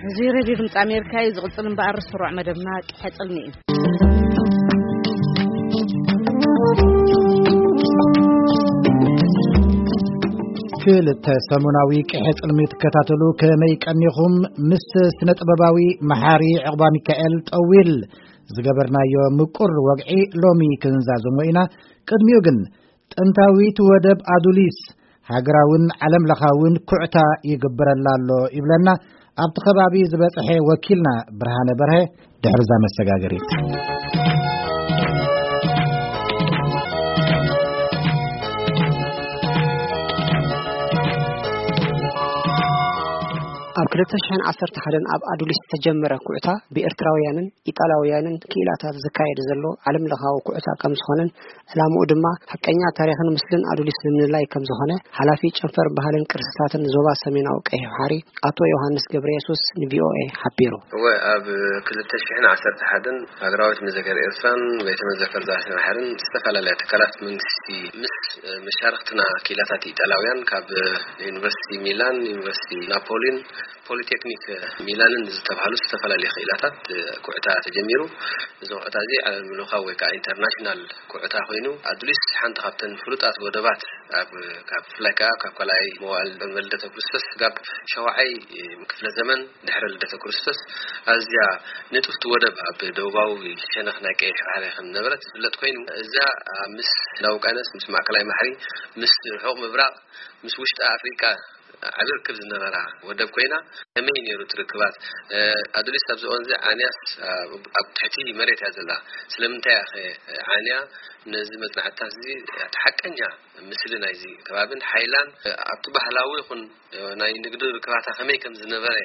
እዚ ሬድዮ ድምፂ ኣሜሪካ እዩ። ዝቕፅል እምበኣር ስሩዕ መደብና ቅሐ ፅልሚ እዩ። ክልተ ሰሙናዊ ቅሐ ፅልሚ ትከታተሉ ከመይ ቀኒኹም? ምስ ስነ ጥበባዊ መሓሪ ዕቕባ ሚካኤል ጠዊል ዝገበርናዮ ምቁር ወግዒ ሎሚ ክንዛዘሞ ኢና። ቅድሚኡ ግን ጥንታዊት ወደብ ኣዱሊስ ሃገራውን ዓለም ለኻውን ኩዕታ ይግበረላ ኣሎ ይብለና። ኣብቲ ከባቢ ዝበጽሐ ወኪልና ብርሃነ በርሀ ድሕርዛ መሰጋገሪት። ኣብ ክልተ ሽሕን ዓሰርተ ሓደን ኣብ ኣዱሊስ ዝተጀመረ ኩዕታ ብኤርትራውያንን ኢጣልያውያንን ክኢላታት ዝካየድ ዘሎ ዓለም ለኻዊ ኩዕታ ከም ዝኾነን ዕላምኡ ድማ ሓቀኛ ታሪኽን ምስልን ኣዱሊስ ንምልላይ ከም ዝኾነ ሓላፊ ጨንፈር ባህልን ቅርስታትን ዞባ ሰሜናዊ ቀይሕ ባሕሪ ኣቶ ዮሃንስ ገብረየሱስ ንቪኦኤ ሓቢሩ። እወ፣ ኣብ ክልተ ሽሕን ዓሰርተ ሓደን ሃገራዊት መዘከር ኤርትራን ቤተ መዘከር ዛስነ ባሕርን ዝተፈላለያ ትካላት መንግስቲ ምስ መሻርክትና ክኢላታት ኢጣልያውያን ካብ ዩኒቨርሲቲ ሚላን፣ ዩኒቨርሲቲ ናፖሊን፣ ፖሊቴክኒክ ሚላንን ዝተባህሉ ዝተፈላለዩ ክኢላታት ኩዕታ ተጀሚሩ። እዚ ኩዕታ እዚ ዓለም ለኻዊ ወይ ከዓ ኢንተርናሽናል ኩዕታ ኮይኑ፣ ኣዱሊስ ሓንቲ ካብተን ፍሉጣት ወደባት ኣብ፣ ካብ፣ ብፍላይ ከዓ ካብ ካልኣይ መዋእል ቅድመ ልደተ ክርስቶስ ካብ ሸዋዓይ ክፍለ ዘመን ድሕሪ ልደተ ክርስቶስ ኣዝያ ንጥፍቲ ወደብ ኣብ ደቡባዊ ሸነኽ ናይ ቀይሕ ባሕሪ ከም ዝነበረት ዝፍለጥ ኮይኑ፣ እዛ ምስ ህንዳዊ ውቅያኖስ፣ ምስ ማእከላይ ባሕሪ፣ ምስ ርሑቕ ምብራቕ፣ ምስ ውሽጢ ኣፍሪቃ ዓቢ ርክብ ዝነበራ ወደብ ኮይና፣ ከመይ ነይሩ እቲ ርክባት? እ፣ ኣዱሊስ ኣብዚ እዋን እዚ ዓንያስ፣ እ፣ ኣብ ትሕቲ መሬት እያ ዘላ። ስለምንታይ እያ ኸ ዓንያ? ነዚ መጽናዕትታት እዚ እቲ ሓቀኛ ምስሊ ናይዚ ከባብን ሓይላን፣ እ፣ ኣብቲ ባህላዊ ይኹን፣ እ፣ ናይ ንግዲ ርክባታ ከመይ ከም ዝነበረ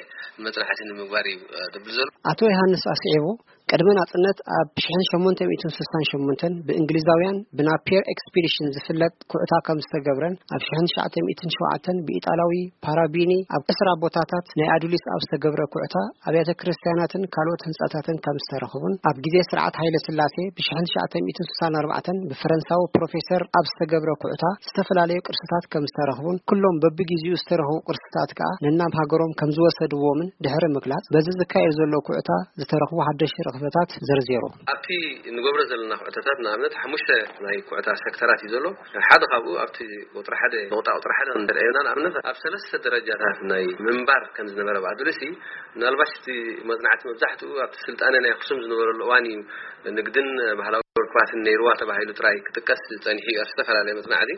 መጽናዕቲ ንምግባር እዩ፣ እ፣ ድብል ዘሎ። ኣቶ ዮሃንስ ኣስዒቡ፣ ቅድሚ ናጽነት ኣብ ሽሕን ሸሞንተ ሚእትን ስሳን ሸሞንተን ብእንግሊዛውያን ብናፒየር ኤክስፒዲሽን ዝፍለጥ ኩዕታ ከም ዝተገብረን፣ ኣብ ሽሕን ትሽዓተ ሚእትን ሸውዓተን ብኢጣላዊ ፓራቢኒ ኣብ ዕስራ ቦታታት ናይ ኣዱሊስ ኣብ ዝተገብረ ኩዕታ ኣብያተ ክርስትያናትን ካልኦት ህንጻታትን ከም ዝተረኽቡን፣ ኣብ ግዜ ስርዓት ሃይለ ስላሴ ብሽሕን ትሽዓተ ሚእትን ስሳን ኣርባዕተን ብፈረንሳዊ ፕሮፌሰር ኣብ ዝተገብረ ኩዕታ ዝተፈላለዩ ቅርስታት ከም ዝተረኽቡን፣ ኩሎም በብግዜኡ ዝተረኽቡ ቅርስታት ከኣ ነናብ ሃገሮም ከም ዝወሰድዎምን ድሕሪ ምግላጽ፣ በዚ ዝካየድ ዘሎ ኩዕታ ዝተረኽቡ ሓደሽቲ ረኽበታት ዘርዚሩ። ኣብቲ ንገብሮ ዘለና ኩዕታታት ንኣብነት ሓሙሽተ ናይ ኩዕታ ሴክተራት እዩ ዘሎ። ሓደ ካብኡ ኣብቲ ቁጽሪ ሓደ፣ ነቑጣ ቁጽሪ ሓደ እንተርእዮና፣ ንኣብነት ኣብ ሰለስተ ደረጃታት ናይ ምንባር ከም ዝነበረ ብኣድልሲ፣ ምናልባሽ እቲ መጽናዕቲ መብዛሕትኡ ኣብቲ ስልጣነ ናይ ኣክሱም ዝነበረሉ እዋን እዩ። ንግድን ባህላዊ ርክባትን ነይርዋ ተባሂሉ ጥራይ ክጥቀስ ጸኒሑ እዩ ኣብ ዝተፈላለየ መጽናዕቲ።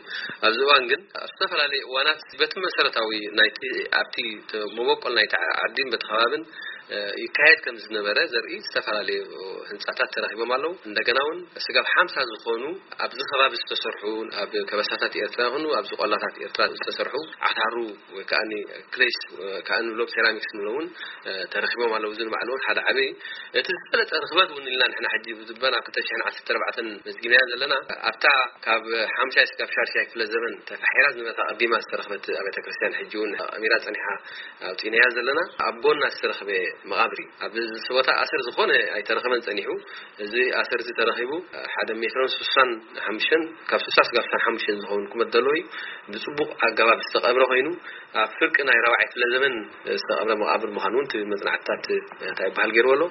ኣብዚ እዋን ግን ኣብ ዝተፈላለየ እዋናት በቲ መሰረታዊ ናይቲ፣ ኣብቲ ተ-፣ መበቆል ናይቲ ዓዲን በቲ ከባብን፣ እ፣ ይካየድ ከም ዝነበረ ዘርኢ ዝተፈላለዩ ህንጻታት ተረኺቦም ኣለዉ። እንደገና እውን ስጋብ ሓምሳ ዝኾኑ ኣብዚ ከባቢ ዝተሰርሑ፣ ኣብ ከበሳታት ኤርትራ ይኹኑ ኣብዚ ቆላታት ኤርትራ ዝተሰርሑ ዓታሩ ወይ ከኣ ክሌስ፣ እ፣ ከኣ ንብሎም ሴራሚክስ ንብሎም እውን፣ እ፣ ተረኺቦም ኣለዉ። እዚ ንባዕሉ እውን ሓደ ዓቢ፣ እቲ ዝበለጸ ርኽበት እውን ኢልና ንሕና ሕጂ ብዝበን ኣብ ክልተ ሽሕን ዓሰርተ ኣርባዕተን መዝጊብናያ ዘለና፣ ኣብታ ካብ ሓምሻይ ስጋብ ሻድሻይ ክፍለ ዘመን ተፋሒራ ዝነበረት ኣቐዲማ ዝተረኽበት ኣብያተ ክርስቲያን ሕጂ እውን ኣሚራ ጸኒሓ ኣውጺእናያ ዘለና፣ ኣብ ጎና ዝተረኽበ መቓብር እዩ። ኣብ እዚ ቦታ ኣሰር ዝኾነ ኣይተረኸበን ጸኒሑ። እዚ ኣሰር እዚ ተረኺቡ ሓደ ሜትሮን ስሳን ሓሙሽተን፣ ካብ ስሳ ስጋብ ስሳን ሓሙሽተን ዝኸውን ቁመት ዘለዎ እዩ። ብጽቡቕ ኣገባብ ዝተቐብረ ኮይኑ፣ ኣብ ፍርቂ ናይ ራብዓይ ክፍለ ዘመን ዝተቐብረ መቓብር ምዃኑ እውን እቲ መጽናዕትታት እንታይ ይበሃል ገይርዎ ኣሎ።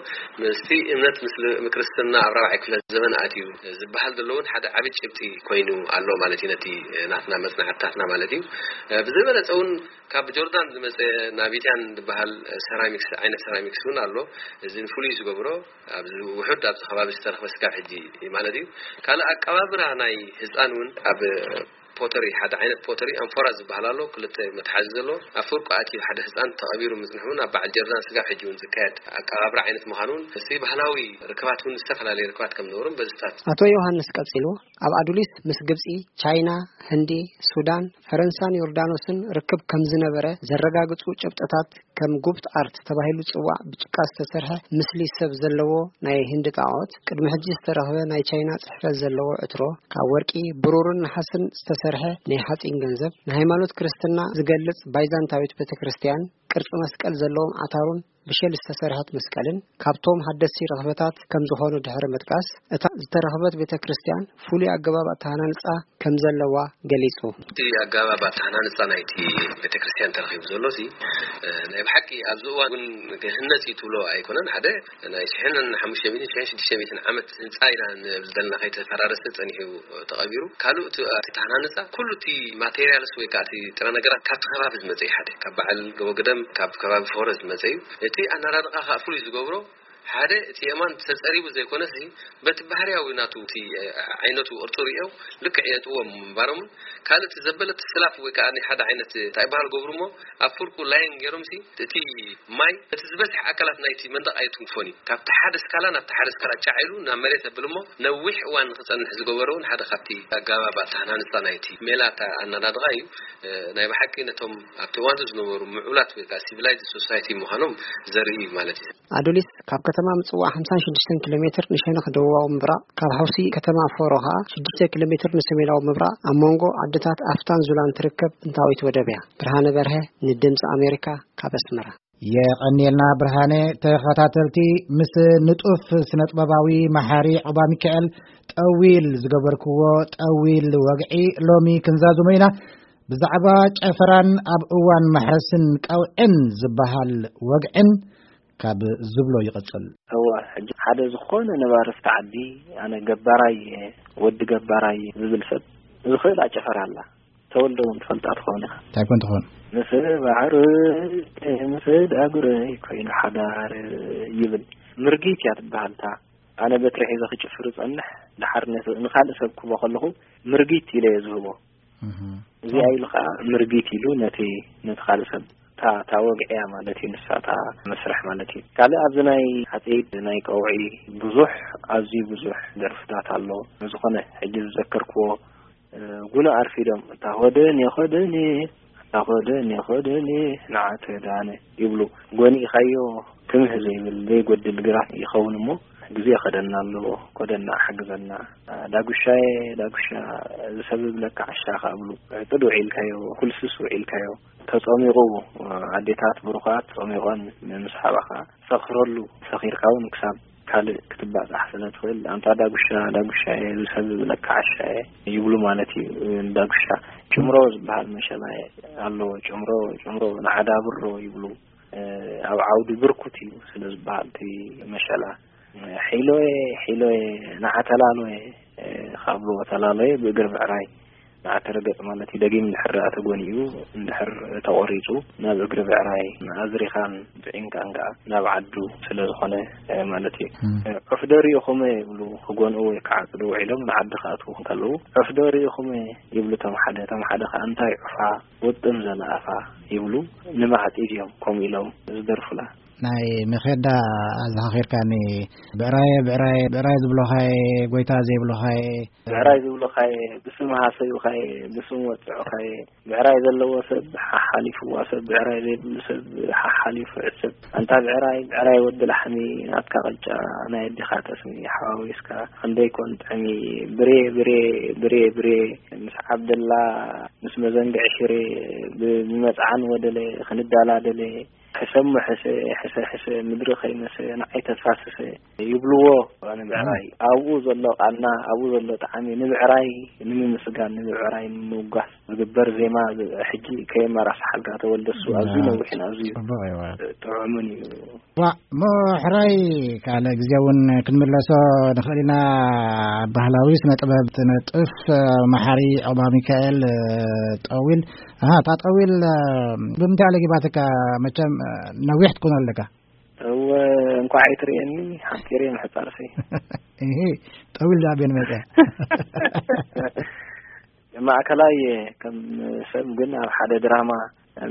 ምስቲ እምነት ምስ ክርስትና ኣብ ራብዓይ ክፍለ ዘመን ኣትዩ ዝበሃል ዘሎ እውን ሓደ ዓቢ ጭብጢ ኮይኑ ኣሎ ማለት እዩ፣ ነቲ ናትና መጽናዕትታትና ማለት እዩ። ብዝበለጸ እውን ካብ ጆርዳን ዝመጸ ናቢትያን ዝበሃል ሰራሚክስ፣ ዓይነት ሰራሚክስ እውን ኣሎ። እዚ ፍሉይ ዝገብሮ ኣብዚ ውሑድ ኣብዚ ከባቢ ዝተረኽበ ስጋብ ሕጂ ማለት እዩ። ካልእ ኣቀባብራ ናይ ህፃን እውን ኣብ ፖተሪ፣ ሓደ ዓይነት ፖተሪ ኣንፎራ ዝበሃል ኣሎ፣ ክልተ መትሓዚ ዘለዎ፣ ኣብ ፍርቁ ኣትዩ ሓደ ህፃን ተቐቢሩ ምጽንሑ እውን ኣብ በዓል ጀርዳን ስጋብ ሕጂ እውን ዝካየድ ኣቀባብራ ዓይነት ምዃኑ እውን፣ እቲ ባህላዊ ርክባት እውን ዝተፈላለየ ርክባት ከም ዝነበሩን በዚ ስታት። ኣቶ ዮሃንስ ቀጺሉ፣ ኣብ ኣዱሊስ ምስ ግብጺ፣ ቻይና፣ ህንዲ፣ ሱዳን፣ ፈረንሳን ዮርዳኖስን ርክብ ከም ዝነበረ ዘረጋግጹ ጭብጥታት ከም ጉብት ኣርት ተባሂሉ ዝጽዋዕ ብጭቃ ዝተሰርሐ ምስሊ ሰብ ዘለዎ ናይ ህንዲ ጣዖት፣ ቅድሚ ሕጂ ዝተረኽበ ናይ ቻይና ጽሕፈት ዘለዎ ዕትሮ፣ ካብ ወርቂ፣ ብሩርን ነሓስን ዝተሰርሐ ናይ ሓጺን ገንዘብ፣ ንሃይማኖት ክርስትና ዝገልጽ ባይዛንታዊት ቤተክርስትያን፣ ቅርጺ መስቀል ዘለዎም ዓታሩን ብሸል ዝተሰርሐት መስቀልን ካብቶም ሓደስቲ ረኽበታት ከም ዝኾኑ ድሕሪ ምጥቃስ፣ እታ ዝተረኽበት ቤተ ክርስቲያን ፍሉይ ኣገባብ ኣተሃናንጻ ከም ዘለዋ ገሊጹ። እቲ ኣገባብ ኣተሃናንጻ ናይቲ ቤተ ክርስቲያን ተረኺቡ ዘሎ፣ እዚ፣ እ፣ ናይ ብሓቂ ኣብዚ እዋን እውን ክህነጽ እዩ ትብሎ ኣይኮነን። ሓደ ናይ ሽሕን ሓሙሽተ ሚእትን፣ ሽሕን ሽዱሽተ ሚእትን ዓመት ህንጻ ኢና ንብል ዘለና፣ ከይተፈራረሰ ጸኒሑ ተቐቢሩ። ካልእ እቲ፣ እቲ ተሃናንጻ ኩሉ እቲ ማቴሪያልስ ወይ ከዓ እቲ ጥረ ነገራት ካብቲ ከባቢ ዝመጸ እዩ። ሓደ ካብ በዓል ገቦ ግደም፣ ካብ ከባቢ ፎረ ዝመጸ እዩ። እቲ ኣናራድቓ ከዓ ፍሉይ ዝገብሮ ሓደ እቲ የማን ተጸሪቡ ዘይኮነሲ በቲ ባህርያዊ ናቱ እቲ፣ እ፣ ዓይነቱ ቅርጹ ርእዮ ልክዕ የጥዎም ምንባሮምን ካልእ እቲ ዘበለ እቲ ስላፍ ወይ ከዓ ናይ ሓደ ዓይነት እንታይ በሃል ገብሩ እሞ ኣብ ፍርቁ ላይን ገይሮምሲ እቲ ማይ እቲ ዝበዝሕ ኣካላት ናይቲ መንደቕ ኣይትንክፎን እዩ። ካብቲ ሓደ ስካላ ናብቲ ሓደ ስካላ ጫዕ ኢሉ ናብ መሬት የብል እሞ ነዊሕ እዋን ንክጸንሕ ዝገበረ እውን ሓደ ካብቲ ኣገባብ ኣተሃናንጻ ናይቲ ሜላ ኣታ-፣ ኣናዳድቓ እዩ። እ፣ ናይ ብሓቂ ነቶም ኣብቲ እዋን ዝነበሩ ምዑላት ወይ ከዓ ሲቪላይዝድ ሶሳይቲ ምዃኖም ዘርኢ እዩ ማለት እዩ። ኣዶሊስ ካብ ከተማ ምጽዋዕ ሓምሳን ሽዱሽተን ኪሎ ሜትር ንሸነኽ ደቡባዊ ምብራቕ፣ ካብ ሓውሲ ከተማ ፎሮ ኸኣ ሽዱሽተ ኪሎ ሜትር ንሰሜናዊ ምብራቕ፣ ኣብ መንጎ ዓድታት ኣፍታን ዙላን ትርከብ ጥንታዊት ወደብ እያ። ብርሃነ በርሀ ንድምጺ ኣሜሪካ ካብ ኣስመራ። የቐንየልና ብርሃነ። ተኸታተልቲ፣ ምስ ንጡፍ ስነጥበባዊ መሓሪ ዑባ ሚካኤል ጠዊል ዝገበርክዎ ጠዊል ወግዒ ሎሚ ክንዛዝሞ ኢና። ብዛዕባ ጨፈራን ኣብ እዋን ማሕረስን ቀውዕን ዝበሃል ወግዕን ካብ ዝብሎ ይቕጽል። እወ፣ ሕጂ ሓደ ዝኾነ ነባሪ ኣብቲ ዓዲ፣ ኣነ ገባራይ እየ፣ ወዲ ገባራይ ዝብል ሰብ ዝኽእል ኣጨፈራ ኣላ። ተወልደ እውን ትፈልጣ ትኸውን ኢኻ። እንታይ ኮን ትኾን? ምስ ባሕሪ ምስ ዳጉረይ ኮይኑ ሓዳር ይብል። ምርጊት እያ ትበሃል እታ። ኣነ በትሪ ሒዘ ክጭፍር እጸንሕ፣ ድሓር ነቲ ንኻልእ ሰብ ክቦ ከለኹ ምርጊት ኢለ እየ ዝህቦ። እህ። እዚኣ ኢሉ ኸዓ ምርጊት ኢሉ ነቲ፣ ነቲ ካልእ ሰብ እታ፣ እታ ወግዒ እያ ማለት እዩ፣ ንሳ እታ መስርሕ ማለት እዩ። ካልእ ኣብዚ ናይ ሓጺድ ናይ ቀውዒ ብዙሕ፣ ኣዝዩ ብዙሕ ደርፍታት ኣሎ። ዝኾነ ሕጂ ዝዘከርክዎ፣ እ፣ ጉና ኣርፊዶም፣ እታ ኾደን የኾደን፣ እታ ኾደን የኾደን፣ ንዓተ ዳነ ይብሉ። ጎኒእኻዮ ትምህ ዘይብል ዘይጎድል ግራት ይኸውን እሞ፣ ግዜ ኸደና ኣለዎ፣ ኮደና ሓግዘና። ዳጉሻየ፣ ዳጉሻ፣ ዝሰብብ ለካ ዓሻ ኸኣ ብሉ። ዕጥድ ውዒልካዮ፣ ኩልስስ ውዒልካዮ። ተጸሚቑ፣ ኣዴታት ብሩኻት ጸሚቖን ምስ ሓባኻ ሰኽረሉ፣ ሰኺርካ እውን ክሳብ ካልእ ክትባጻሕ ስለ ትኽእል፣ ኣንታ ዳጉሻ፣ ዳጉሻየ፣ ዝሰብብ ለካ ዓሻየ ይብሉ ማለት እዩ። ዳጉሻ ጭምሮ ዝበሃል መሸላ ኣለዎ። ጭምሮ፣ ጭምሮ ንዓዳብሮ ይብሉ። ኣብ ዓውዲ ብርኩት እዩ ስለ ዝበሃል እቲ መሸላ። ሒሎየ፣ ሒሎየ፣ ንዓ ተላሎየ፣ ካብ ተላሎየ ብእግሪ ብዕራይ ንዓ ተረገጽ ማለት እዩ። ደጊም እንድሕር ደኣ ተጎኒኡ፣ እንድሕር ተቖሪጹ፣ ናብ እግሪ ብዕራይ ኣዝሪኻን ጽዒንካን ከኣ ናብ ዓዱ ስለ ዝኾነ ማለት እዩ። እም። ዑፍ ዶ ርኢኹመ ይብሉ፣ ክጎንኡ ወይ ክዓጽዱ ውዒሎም ንዓዲ ክኣትዉ ከለዉ፣ ዑፍ ዶ ርኢኹመ ይብሉ እቶም ሓደ፣ እቶም ሓደ ከኣ እንታይ ዑፋ ውጥም ዘለኣፋ ይብሉ፣ ንማዕጺድ እዮም ከምኡ ኢሎም ዝደርፉላ። ናይ መኼዳ ኣዘኻኺርካኒ። ብዕራየ፣ ብዕራየ፣ ብዕራይ ዝብሎኻየ፣ ጎይታ ዘይብሎኻየ። ብዕራይ ዝብሎኻየ፣ ብስም ሃሰዩኻየ፣ ብስም ወጽዑኻየ። ብዕራይ ዘለዎ ሰብ ሓሓሊፍዋ ሰብ፣ ብዕራይ ዘይብሉ ሰብ ሓሓሊፉ ዕስብ። ኣንታ ብዕራይ፣ ብዕራይ ወዲ ላሕሚ፣ ናትካ ቅጫ ናይ ኣዴኻ ጠስሚ ሓዋዊስካ፣ ክንደይ ኮን ጥዕሚ። ብሬ፣ ብሬ፣ ብሬ፣ ብሬ፣ ምስ ዓብደላ፣ ምስ መዘንግዕ ሽሬ፣ ብ-፣ ብመጽዓን ወደለ፣ ክንዳላደለ፣ ሕሰሞ ሕሰ፣ ሕሰ ሕሰ፣ ምድሪ ከይመሰ፣ ንዓይ ተፋሰሰ ይብልዎ። ኣነ ብዕራይ ኣብኡ ዘሎ ቃና፣ ኣብኡ ዘሎ ጣዕሚ፣ ንብዕራይ ንምምስጋን፣ ንብዕራይ ንምውጋስ ዝግበር ዜማ፣ ዝ-፣ ሕጂ ከየመራስሓልካ ተወልደ፣ እሱ ኣዝዩ ያ፣ ነዊሕን ኣዝዩ ጽቡቕ እዩ። ጥዑምን እዩ። ዋ፣ እሞ ሕራይ ካልእ ግዜ እውን ክንምለሶ ንኽእል ኢና። ባህላዊ ስነ ጥበብ ትነጥፍ መሓሪ ዑባ ሚካኤል ጠዊል። ኣሃ፣ እታ ጠዊል ብምንታይ ኣለጊባትካ? መቸም ነዊሕ ትኮን ኣለካ። እወ፣ እንኳዕ ኣይትርእየኒ፣ ሓጺር እየ ምሕጻርሲ። እሂ፣ ጠዊል ዳኣ ኣበይ መጸ? ማእከላይ ከም ሰብ ግን ኣብ ሓደ ድራማ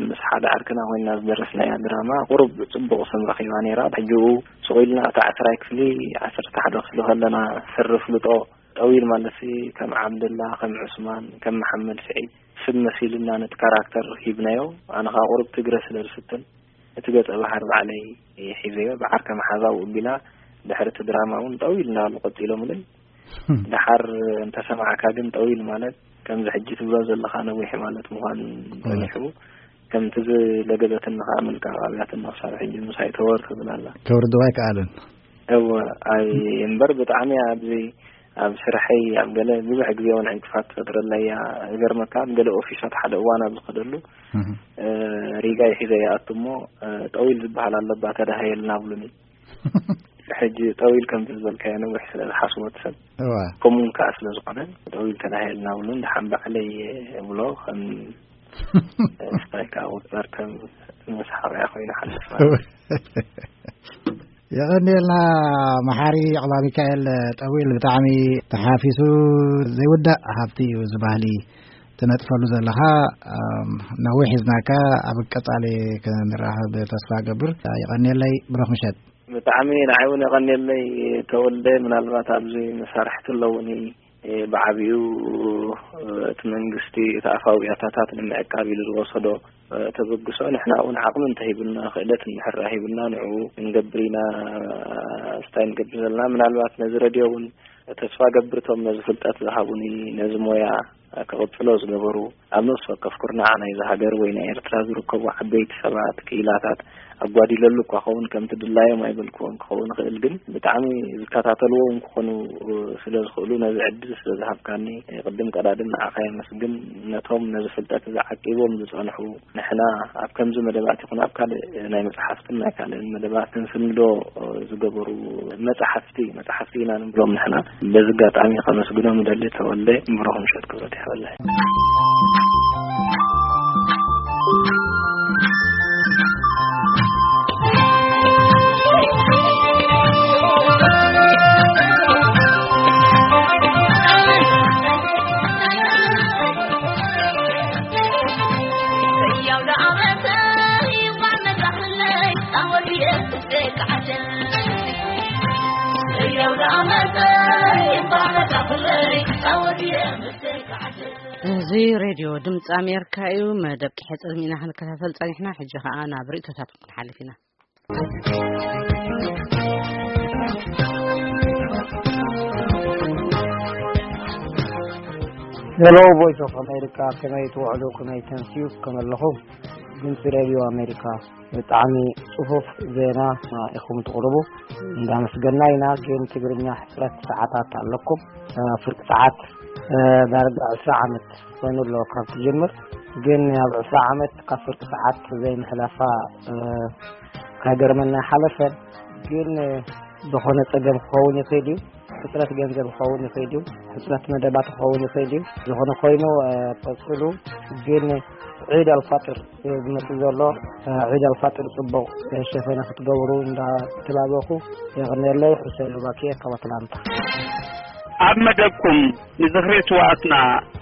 ምስ ሓደ ዓርክና ኮይና ዝደረስናያ ድራማ ቁሩብ ጽቡቕ ስም ረኺባ ነይራ። ሕጂኡ ስቕ ኢልና እታ ዓስራይ ክፍሊ፣ ዓሰርተ ሓደ ክፍሊ ከለና ስሪ ፍልጦ ጠዊል ማለትሲ ከም ዓብደላ፣ ከም ዑስማን፣ ከም መሓመድ ስዒድ ስም መሲሉና ነቲ ካራክተር ሂብናዮ። ኣነ ኸኣ ቁሩብ ትግረ ስለ ዝፍትን እቲ ገጸ ባህሪ ባዕለይ ሒዘዮ። ብዓርከ መሓዛው እቢላ ድሕሪ እቲ ድራማ እውን ጠዊል እንዳበሉ ቀጺሎምለይ። ደሓር እንተሰማዕካ ግን ጠዊል ማለት ከምዚ ሕጂ ትብሎ ዘለኻ ነዊሕ ማለት ምዃን ጸኒሑ። ከምቲ ዝለገበትኒ ከዓ ምልቃቕ ኣብያትኒ ክሳብ ሕጂ ምሳይ ተወር ትብል ኣላ። ከውርድዋ ኣይከኣልን። እወ፣ ኣይ እምበር ብጣዕሚ ኣብዚ ኣብ ስርሐይ ኣብ ገለ ብዙሕ ግዜ እውን ዕንቅፋት ትፈጥረለይ እያ። ዝገርመካ ኣብ ገለ ኦፊሳት ሓደ እዋን ኣብ ዝኸደሉ፣ ሪጋ ይሒዘ ይኣቱ እሞ፣ ጠዊል ዝበሃል ኣለባ ተዳሃየልና ብሉኒ። ሕጂ ጠዊል ከምቲ ዝበልካዮ ነዊሕ ስለ ዝሓስቦ እቲ ሰብ፣ ከምኡ እውን ከዓ ስለ ዝኾነ፣ ጠዊል ተዳሃየልና ብሉን ደሓን ባዕለይ ብሎ ከም ስታይካ ውጠር ከም መስሓቕያ ኮይኑ ሓልፍ ማለት። የቐንየልና መሓሪ ዕቕባ ሚካኤል ጠዊል፣ ብጣዕሚ ተሓፊሱ ዘይውዳእ ሃብቲ እዩ እዚ ባህሊ ትነጥፈሉ ዘለኻ። ነዊሕ ሒዝናካ፣ ኣብ ቀጻሊ ክንራኸብ ተስፋ ገብር። የቐንየለይ፣ ብሩኽ ምሸት። ብጣዕሚ ንዓይ እውን የቐንየለይ ተወልደ። ምናልባት ኣብዚ መሳርሕቲ ኣለውኒ፣ ብዓቢኡ እቲ መንግስቲ እቲ ኣፋዊ ያታታት ንምዕቃብ ኢሉ ዝወሰዶ ተበግሶ፣ ንሕና እውን ዓቕሚ እንተሂቡና፣ ክእለት እንድሕር ሂቡና፣ ንዕኡ ክንገብር ኢና ስታይ ንገብር ዘለና። ምናልባት ነዚ ረድዮ እውን ተስፋ ገብር እቶም ነዚ ፍልጠት ዝሃቡኒ፣ ነዚ ሞያ ክቕጽሎ ዝገበሩ፣ ኣብ ነፍሲ ወከፍ ኩርናዕ ናይዚ ሃገር ወይ ናይ ኤርትራ ዝርከቡ ዓበይቲ ሰባት፣ ክኢላታት ኣጓዲለሉ እኳ ኸውን፣ ከምቲ ድላዮም ኣይበልክዎን ክኸውን ይኽእል፣ ግን ብጣዕሚ ዝከታተልዎ እውን ክኾኑ ስለ ዝኽእሉ፣ ነዚ ዕድል ስለ ዝሃብካኒ፣ ቅድም ቀዳድም ንዓኻ የመስግን። ነቶም ነዚ ፍልጠት እዚ ዓቂቦም ዝጸንሑ፣ ንሕና ኣብ ከምዚ መደባት ይኹን ኣብ ካልእ ናይ መጽሓፍትን ናይ ካልእን መደባት ክንስንዶ ዝገበሩ መጽሓፍቲ፣ መጽሓፍቲ ኢና ንብሎም ንሕና። በዚ ኣጋጣሚ ከመስግኖም እደሊ። ተወልደ፣ ብሩኽ ምሸት ክብረት ይሃበለይ። እዚ ሬድዮ ድምፂ ኣሜሪካ እዩ። መደብ ቂሐ ፀልሚና ክንከታተል ፀኒሕና። ሕጂ ከዓ ናብ ርእቶታት ክንሓልፍ ኢና። ሄሎ፣ ቮይስ ኦፍ ኣሜሪካ፣ ከመይ ትውዕሉ? ከመይ ተምስዩ? ከመይ ኣለኹም? ድምፂ ሬድዮ ኣሜሪካ፣ ብጣዕሚ ጽፉፍ ዜና ኢኹም ትቕርቡ፣ እንዳመስገና ኢና። ግን ትግርኛ ሕጽረት ሰዓታት ኣለኩም። ፍርቂ ሰዓት ዳርጋ ዕስራ ዓመት ኮይኑ ኣሎ ካብ ትጅምር፣ ግን ኣብ ዕስራ ዓመት ካብ ፍርቂ ሰዓት ዘይምሕላፋ ከገርመና ሓለፈን። ግን ዝኾነ ጸገም ክኸውን ይኽእል እዩ። ሕጽረት ገንዘብ ክኸውን ይኽእል እዩ። ሕጽረት መደባት ክኸውን ይኽእል እዩ። ዝኾነ ኮይኑ፣ እ፣ ቀጽሉ። ግን ዒድ ኣልፋጥር ዝመጽእ ዘሎ፣ እ፣ ዒድ ኣልፋጥር ጽቡቕ፣ እ፣ ሸፈነ ክትገብሩ እንዳተባበኹ የቕንየለይ። ሑሴን ሉባኪየ ካብ ኣትላንታ። ኣብ መደብኩም ንዝኽሪ ስውኣትና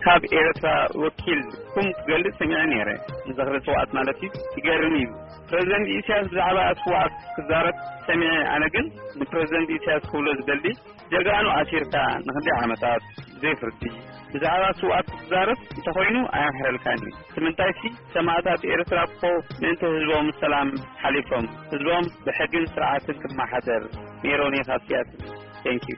ካብ ኤርትራ ወኪልኩም ክገልጽ ሰሚዐ ነይረ። ንዝኽሪ ስውኣት ማለት እዩ። ይገርም እዩ። ፕረዚደንት ኢሳያስ ብዛዕባ ስውኣት ክዛረብ ሰሚዐ። ኣነ ግን ንፕረዚደንት ኢሳያስ ክብሎ ዝደሊ፣ ጀጋኑ ኣሲርካ ንክንደይ ዓመታት ብዘይ ፍርዲ ብዛዕባ ስውኣት ክትዛረብ እንተኾይኑ ኣየምሕረልካን እዩ። እቲ ምንታይሲ ሰማእታት ኤርትራ እኮ ምእንቲ ህዝቦም ሰላም ሓሊፎም፣ ህዝቦም ብሕግን ስርዓትን ክመሓደር ነይሮም እዩ ካብ ሲያትል። Thank you።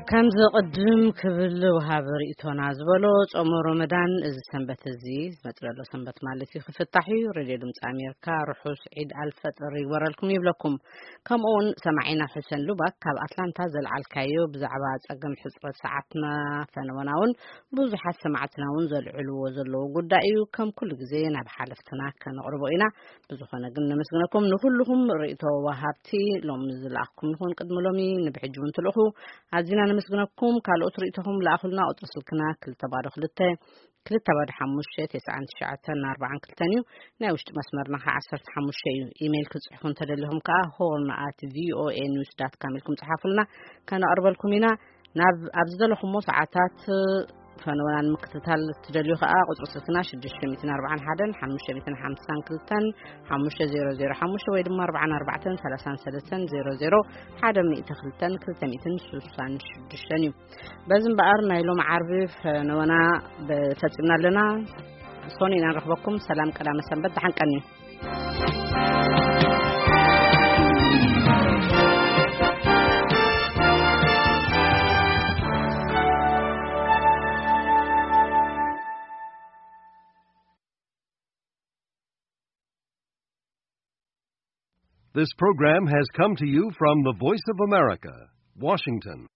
ከምዚ ቅድም ክብል ወሃቢ ርእይቶና ዝበሎ፣ ጾመ ሮመዳን እዚ ሰንበት እዚ፣ ዝመጽእ ዘሎ ሰንበት ማለት እዩ፣ ክፍታሕ እዩ። ሬድዮ ድምፂ ኣሜሪካ ርሑስ ዒድ ኣልፈጥር ይግበረልኩም ይብለኩም። ከምኡ እውን ሰማዒና ሑሰን ሉባክ ካብ ኣትላንታ ዘልዓልካዮ ብዛዕባ ጸገም ሕጽረት ሰዓትና ፈነወና እውን ብዙሓት ሰማዕትና እውን ዘልዕልዎ ዘለዉ ጉዳይ እዩ። ከም ኩሉ ግዜ ናብ ሓለፍትና ከነቕርቦ ኢና። ብዝኾነ ግን ነመስግነኩም ንኩልኹም ርእይቶ ወሃብቲ፣ ሎሚ ዝለኣኽኩም ንኹን ቅድሚ ሎሚ ንብሕጂ እውን ትልእኹ። ኣዚና ነመስግነኩም። ካልኦት ርእይቶኹም ለኣኹልና። ቁጽሪ ስልክና ክልተ ባዶ ክልተ፣ ክልተ ባዶ ሓሙሽተ፣ ተስዓን ትሽዓተን ኣርባዓን ክልተን እዩ። ናይ ውሽጢ መስመርና ከዓ ዓሰርተ ሓሙሽተ እዩ። ኢሜይል ክትጽሕፉ እንተደሊኹም ከዓ ሆርን ኣት ቪኦኤ ኒውስ ዳት ካም ኢልኩም ጽሓፉልና፣ ከነቕርበልኩም ኢና። ናብ ኣብ ዝደለኹሞ ሰዓታት ፈነወና ንምክትታል ትደልዩ ከኣ ቁጽሪ ስልክና ሽዱሽተ ሚእትን ኣርባዓን ሓደን ሓሙሽተ ሚእትን ሓምሳን ክልተን ሓሙሽተ ዜሮ ዜሮ ሓሙሽተ ወይ ድማ ኣርባዓን ኣርባዕተን ሰላሳን ሰለስተን ዜሮ ዜሮ ሓደ ሚእቲ ክልተን ክልተ ሚእትን ስሳን ሽዱሽተን እዩ። በዚ እምበኣር ናይ ሎም ዓርቢ ፈነወና ፈጺምና ኣለና። ሶኒ ኢና ንረኽበኩም። ሰላም ቀዳመ ሰንበት፣ ደሓን ቀንዩ። This program has come to you from the Voice of America, Washington.